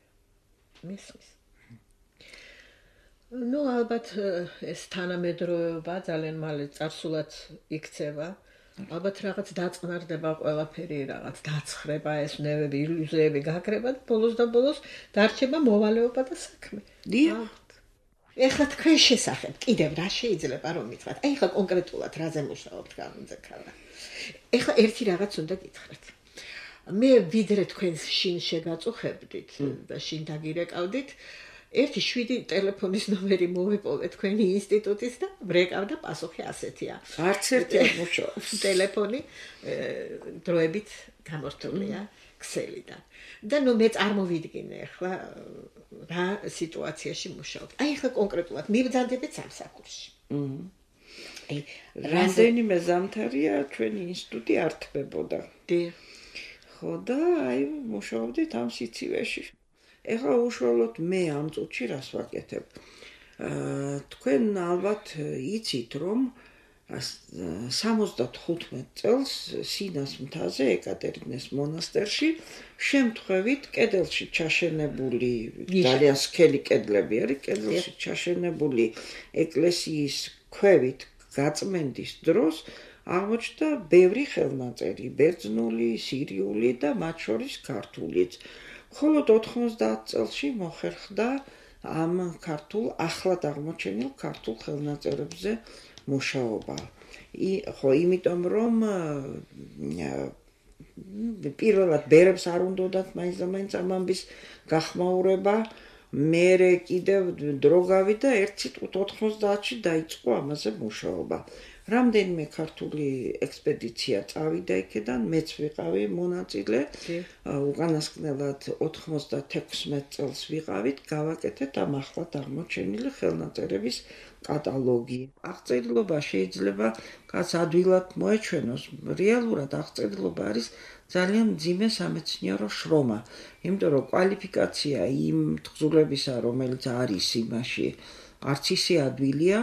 მისლის. ნუ ალბათ ეს თანამედროვეობა ძალიან მალე წარსულად იქცევა. ალბათ რაღაც დაწყნარდება ყველაფერი, რაღაც დაცხრება, ეს ნევები, ილუზიები გაქრება და ბოლოს და ბოლოს დარჩება მოვალეობა და საქმე. დიახ. ეხლა თქვენ შესახებ კიდევ რა შეიძლება რომ მითხრათ? აი ეხლა კონკრეტულად რაზე მუშაობთ გამონძეკალა? ეხლა ერთი რაღაც უნდა გითხრათ. მე ვიდრე თქვენ შინ შეგაწუხებდით და შინ დაგირეკავდით, ერთი შვიდი ტელეფონის ნომერი მოვიპოვე თქვენი ინსტიტუტის და ვრეკავდა პასუხი ასეთია. არც ერთი არ მუშაობს. ტელეფონი დროებით გამორთულია ქსელიდან. და ნუ მე წარმოვიდგინე ახლა რა სიტუაციაში მუშაობთ. აი ახლა კონკრეტულად მიბრძანდებით სამსახურში. აი რამდენიმე ზამთარია ჩვენი ინსტიტუტი არ თბებოდა. დიახ. ხო და აი მუშაობდით ამ სიცივეში. ეხლა უშუალოდ მე ამ წუთში რას ვაკეთებ? აა თქვენ ალბათ იცით რომ სამოცდათხუთმეტ წელს სინას მთაზე ეკატერინეს მონასტერში შემთხვევით კედელში ჩაშენებული ძალიან სქელი კედლები არის კედელში ჩაშენებული ეკლესიის ქვევით გაწმენდის დროს აღმოჩნდა ბევრი ხელნაწერი, ბერძნული, სირიული და მათ შორის ქართულიც. მხოლოდ ოთხმოცდაათ წელში მოხერხდა ამ ქართულ ახლად აღმოჩენილ ქართულ ხელნაწერებზე მუშაობა. ხო, იმიტომ რომ პირველად ბერებს არ უნდათ მაინც და მაინც ამ ამბის გახმაურება, მერე კიდევ დრო გავიდა, ერთ სიტყვით ოთხმოცდაათში დაიწყო ამაზე მუშაობა. რამდენიმე ქართული ექსპედიცია წავიდა იქედან, მეც ვიყავი მონაწილე. უკანასკნელად ოთხმოცდათექვსმეტ წელს ვიყავით, გავაკეთეთ ამ ახლად აღმოჩენილი ხელნაწერების კატალოგი. აღწერილობა შეიძლება კაც ადვილად მოეჩვენოს. რეალურად აღწერილობა არის ძალიან მძიმე სამეცნიერო შრომა, იმიტომ რომ კვალიფიკაცია იმ თხზულებისა, რომელიც არის იმაში, არც ისე ადვილია.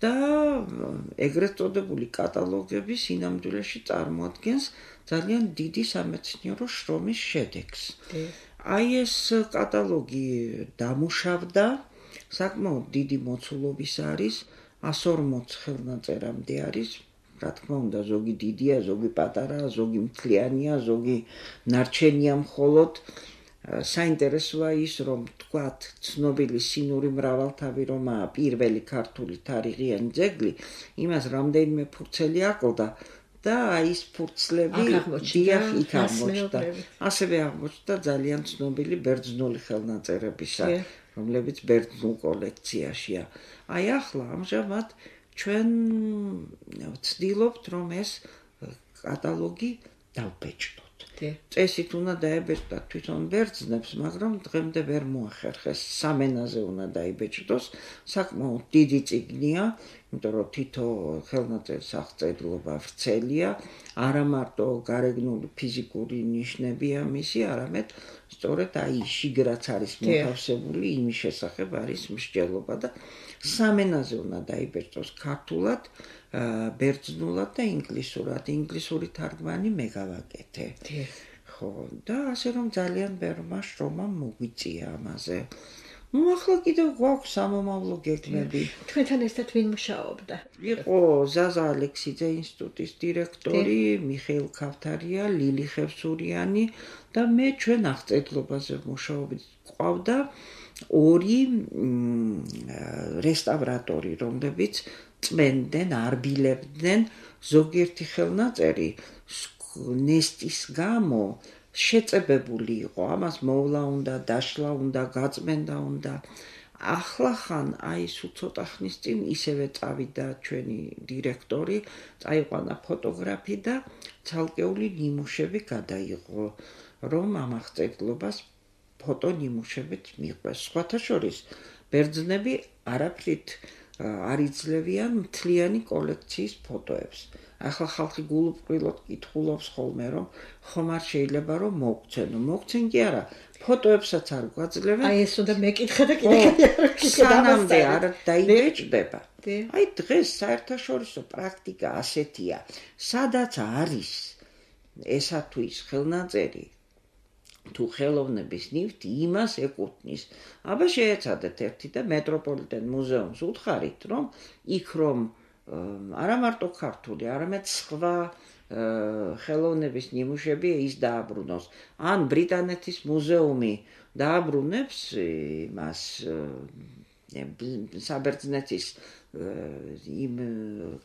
და ეგრეთ წოდებული კატალოგები სინამდვილეში წარმოადგენს ძალიან დიდი სამეცნიერო შრომის შედეგს. აი ეს კატალოგი დამუშავდა, საკმაოდ დიდი მოცულობის არის, εκατს ორმოც ხელნაწერამდე არის, რა თქმა უნდა, ზოგი დიდია, ზოგი პატარაა, ზოგი მთლიანია, ზოგი ნარჩენია მხოლოდ. საინტერესოა ის, რომ თქვათ, ცნობილი სინური მრავალთავი რომაა პირველი ქართული თარიღიანი ძეგლი, იმას რამდენიმე ფურცელი აკლდა და აი ეს ფურცლები დიახ იქ აღმოჩნდა. ასევე აღმოჩნდა ძალიან ცნობილი ბერძნული ხელნაწერებისა, რომლებიც ბერძნულ კოლექციაშია. აი ახლა ამჟამად ჩვენ ვცდილობთ, რომ ეს კატალოგი დავბეჭდოთ. წესით უნდა დაებეჭდათ თვითონ ბერძნებს, მაგრამ დღემდე ვერ მოახერხეს. სამენაზე უნდა დაიბეჭდოს, საკმაოდ დიდი წიგნია, იმიტომ რომ თითო ხელნაწერის აღწერილობა ვრცელია, არა მარტო გარეგნული ფიზიკური ნიშნებია მისი, არამედ სწორედ აი შიგრაც არის მოთავსებული, იმის შესახებ არის მსჯელობა და სამენაზე უნდა დაიბეჭდოს ქართულად, ბერძნულად და ინგლისურად. ინგლისური თარგმანი მე გავაკეთე. ხო, და ასე რომ ძალიან ბევრმა შრომამ მოგვიწია ამაზე. ნუ ახლა კიდევ გვაქვს სამომავლო გეგმები. თქვენთან ერთად ვინ მუშაობდა? იყო ზაზა ალექსიძე ინსტიტუტის დირექტორი, მიხეილ ქავთარია, ლილი ხევსურიანი და მე ჩვენ აღწერილობაზე მუშაობთ. ყავდა ორი რესტავრატორი, რომლებიც წმენდნენ, არბილებდნენ ზოგიერთი ხელნაწერი ნესტის გამო შეწებებული იყო, ამას მოვლა უნდა, დაშლა უნდა, გაწმენდა უნდა. ახლახან აი სულ ცოტა ხნის წინ ისევე წავიდა ჩვენი დირექტორი, წაიყვანა ფოტოგრაფი და ცალკეული ნიმუშები გადაიღო, რომ ამ აღწერილობას ფოტო ნიმუშებით მიყვეს. სხვათა შორის ბერძნები არაფრით არ იძლევიან მთლიანი კოლექციის ფოტოებს. ახლა ხალხი გულუბრყვილოდ კითხულობს ხოლმე, რომ ხომ არ შეიძლება რომ მოგცენო. მოგცენ კი არა, ფოტოებსაც არ გვაძლევენ. აი ეს უნდა მეკითხა და კიდე სანამდე არ დაიბეჭდება. აი დღეს საერთაშორისო პრაქტიკა ასეთია, სადაც არის ესა თუ ის ხელნაწერი, თუ ხელოვნების ნივთი იმას ეკუთვნის. აბა შეეცადეთ ერთი და მეტროპოლიტენ მუზეუმს უთხარით, რომ იქ რომ არა მარტო ქართული, არამედ სხვა ხელოვნების ნიმუშები ის დააბრუნოს. ან ბრიტანეთის მუზეუმი დააბრუნებს იმას საბერძნეთის იმ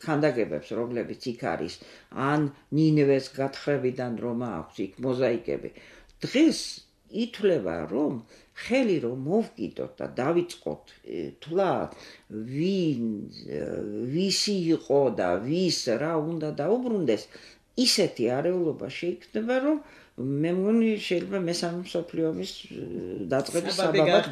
ქანდაკებებს, რომლებიც იქ არის, ან ნინევეს გათხრებიდან რომ აქვს იქ მოზაიკები. დღეს ითვლება, რომ ხელი რომ მოვკიდოთ და დავიწყოთ თვლა ვინ ვისი იყო და ვის რა უნდა დაუბრუნდეს, ისეთი არეულობა შეიქმნება, რომ მე მგონი შეიძლება მესამე მსოფლიო ომის დაწყების საბაბად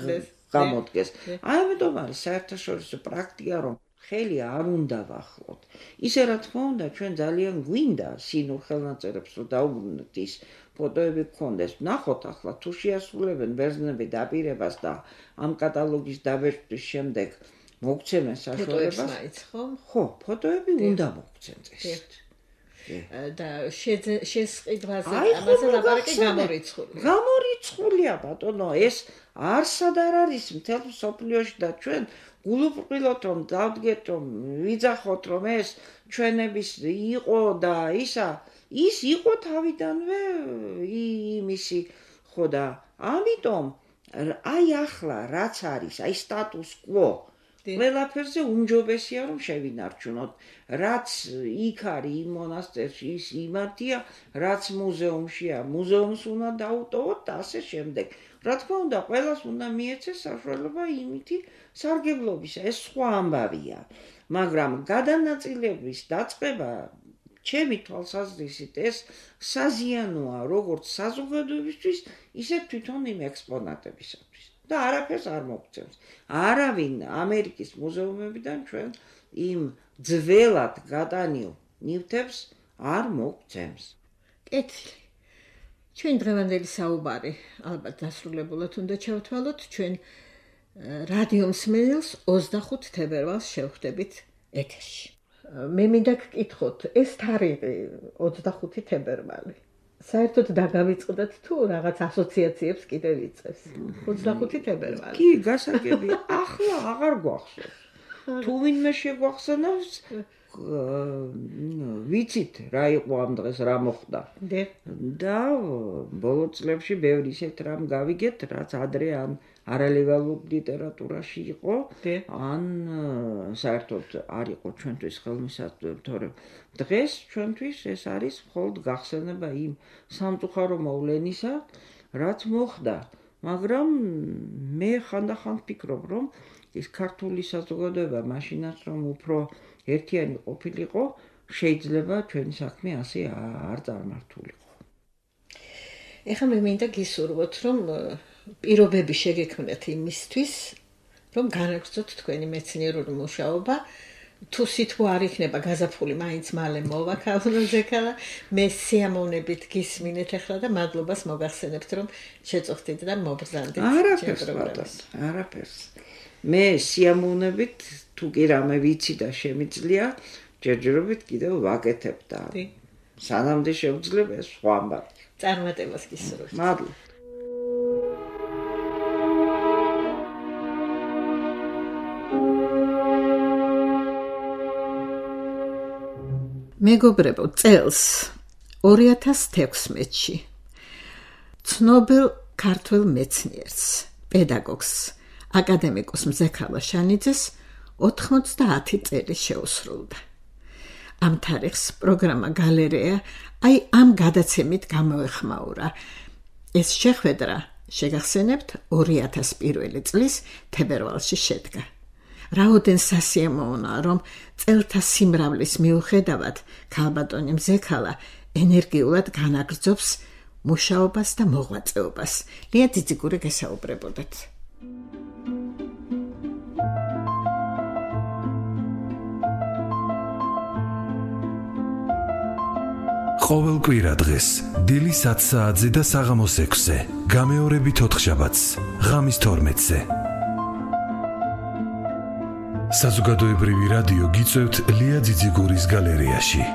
გამოდგეს. აი ამიტომ არის საერთაშორისო პრაქტიკა, რომ ხელი არ უნდა ვახლოთ. ისე რა თქმა უნდა, ჩვენ ძალიან გვინდა სინურ ხელნაწერებს რომ დაუბრუნოთ ის ფოტოები გქონდეს. ნახოთ ახლა თუ შეასრულებენ ბერძნები დაპირებას და ამ კატალოგის დაბეჭდვის შემდეგ მოგცემენ საშუალებას. ხო, ფოტოები უნდა მოგცენ წესით. და შესყიდვაზე ამაზე ლაპარაკი გამორიცხული. გამორიცხულია ბატონო, ეს არსად არ არის მთელ მსოფლიოში და ჩვენ გულუბრყვილოთ რომ დავდგეთ რომ ვიძახოთ რომ ეს ჩვენების იყო და ისა ის იყო თავიდანვე იმისი ხო და ამიტომ აი ახლა რაც არის აი სტატუს კვო ყველაფერზე უმჯობესია რომ შევინარჩუნოთ რაც იქ არის იმ მონასტერში ის იმართია რაც მუზეუმშია მუზეუმს უნდა დაუტოვოთ და ასე შემდეგ რა თქმა უნდა ყველას უნდა მიეცეს საშუალება იმითი სარგებლობისა ეს სხვა ამბავია მაგრამ გადანაწილების დაწყება ჩემი თვალსაზრისით ეს საზიანოა როგორც საზოგადოებისთვის ისე თვითონ იმ ექსპონატებისათვის და არაფერს არ მოგცემს არავინ ამერიკის მუზეუმებიდან ჩვენ იმ ძველად გადანილ ნივთებს არ მოგცემს კეთილი ჩვენ დღევანდელი საუბარი ალბათ დასრულებულად უნდა ჩავთვალოთ ჩვენ რადიო მსმენელს ოცდახუთ თებერვალს შევხვდებით ეთერში მე მინდა გკითხოთ ეს თარიღი ოცდახუთი თებერვალი საერთოდ დაგავიწყდათ თუ რაღაც ასოციაციებს კიდევ იწევს ოცდახუთი თებერვალი კი გასაგები ახლა აღარ გვახსოვს თუ ვინმე შეგვახსენავს ვიცით რა იყო ამ დღეს რა მოხდა და ბოლო წლებში ბევრი ისეთ რამ გავიგეთ რაც ადრე ან არალეგალურ ლიტერატურაში იყო ან საერთოდ არ იყო ჩვენთვის ხელმისაწვდომი თორემ დღეს ჩვენთვის ეს არის მხოლოდ გახსენება იმ სამწუხარო მოვლენისა რაც მოხდა მაგრამ მე ხანდახან ვფიქრობ რომ ის ქართული საზოგადოება მაშინაც რომ უფრო ერთიანი ყოფილიყო შეიძლება ჩვენი საქმე ასე არ წარმართულიყო ეხლა მე მინდა გისურვოთ რომ პირობები შეგექმნათ იმისთვის რომ განაგრძოთ თქვენი მეცნიერული მუშაობა თუ სითბო არ იქნება გაზაფხული მაინც მალე მოვა ქალონოზეკალა მე სიამოვნებით გისმინეთ ახლა და მადლობას მოგახსენებთ რომ შეწუხდით და მობრძანდით არაფერს არაფერს მე სიამოვნებით თუ კი რამე ვიცი და შემიძლია ჯერჯერობით კიდევ ვაკეთებ და სანამდე შევძლებ ეს სხვა ამბავი წარმატებას გისურვებთ მადლობა მეგობრებო წელს ორი ათას თექვსმეტში ცნობილ ქართველ მეცნიერს პედაგოგს აკადემიკოს მზექალა შანიძეს ოთხმოცდაათი წელი შეუსრულდა ამ თარიღს პროგრამა გალერეა აი ამ გადაცემით გამოეხმაურა ეს შეხვედრა შეგახსენებთ ორი ათას პირველი წლის თებერვალში შედგა რაოდენ სასიამოვნოა რომ წელთა სიმრავლის მიუხედავად ქალბატონი მზექალა ენერგიულად განაგრძობს მუშაობას და მოღვაწეობას ლია ძიძიგური გესაუბრებოდათ ყოველ კვირა დღეს დილის ათ საათზე და საღამოს ექვსზე გამეორებით ოთხშაბათს ღამის თორმეტზე საზოგადოებრივი რადიო გიწევთ ლია ძიძიგურის გალერეაში